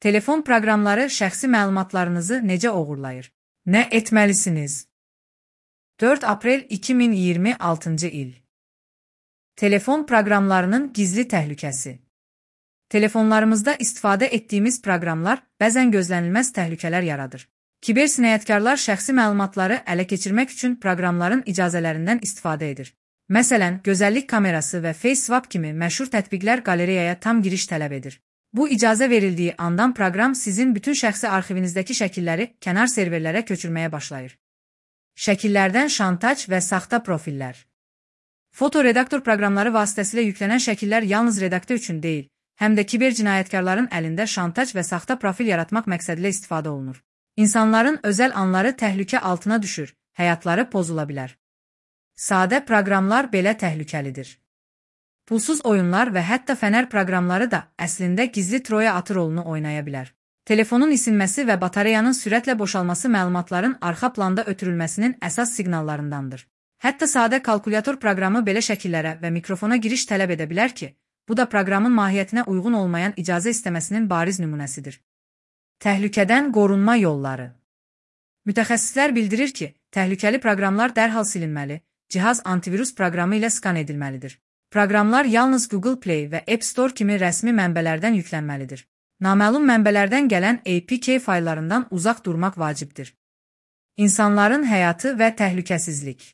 Telefon proqramları şəxsi məlumatlarınızı necə oğurlayır? Nə etməlisiniz? 4 aprel 2026-cı il. Telefon proqramlarının gizli təhlükəsi. Telefonlarımızda istifadə etdiyimiz proqramlar bəzən gözlənilməz təhlükələr yaradır. Kiber cinayətkarlar şəxsi məlumatları ələ keçirmək üçün proqramların icazələrindən istifadə edir. Məsələn, gözəllik kamerası və FaceSwap kimi məşhur tətbiqlər qalereyaya tam giriş tələb edir. Bu icazə verildiyi andan proqram sizin bütün şəxsi arxivinizdəki şəkilləri kənar serverlərə köçürməyə başlayır. Şəkillərdən şantaj və saxta profillər. Fotoredaktor proqramları vasitəsilə yüklənən şəkillər yalnız redaktör üçün deyil, həm də kiber cinayətkarların əlində şantaj və saxta profil yaratmaq məqsədilə istifadə olunur. İnsanların özəl anları təhlükə altına düşür, həyatları pozula bilər. Sadə proqramlar belə təhlükəlidir. Pulsuz oyunlar və hətta fənər proqramları da əslində gizli Troya atı rolunu oynaya bilər. Telefonun isinməsi və batareyanın sürətlə boşalması məlumatların arxa planda ötürülməsinin əsas siqnallarındandır. Hətta sadə kalkulyator proqramı belə şəkillərə və mikrofona giriş tələb edə bilər ki, bu da proqramın mahiyyətinə uyğun olmayan icazə istəməsinin bariz nümunəsidir. Təhlükədən qorunma yolları. Mütəxəssislər bildirir ki, təhlükəli proqramlar dərhal silinməli, cihaz antivirus proqramı ilə skan edilməlidir. Proqramlar yalnız Google Play və App Store kimi rəsmi mənbələrdən yüklənməlidir. Naməlum mənbələrdən gələn APK fayllarından uzaq durmaq vacibdir. İnsanların həyatı və təhlükəsizlik.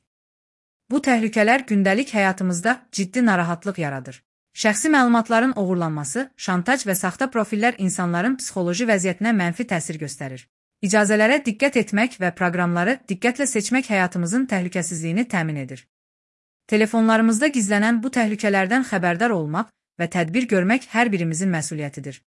Bu təhlükələr gündəlik həyatımızda ciddi narahatlıq yaradır. Şəxsi məlumatların oğurlanması, şantaj və saxta profillər insanların psixoloji vəziyyətinə mənfi təsir göstərir. İcazələrə diqqət etmək və proqramları diqqətlə seçmək həyatımızın təhlükəsizliyini təmin edir. Telefonlarımızda gizlənən bu təhlükələrdən xəbərdar olmaq və tədbir görmək hər birimizin məsuliyyətidir.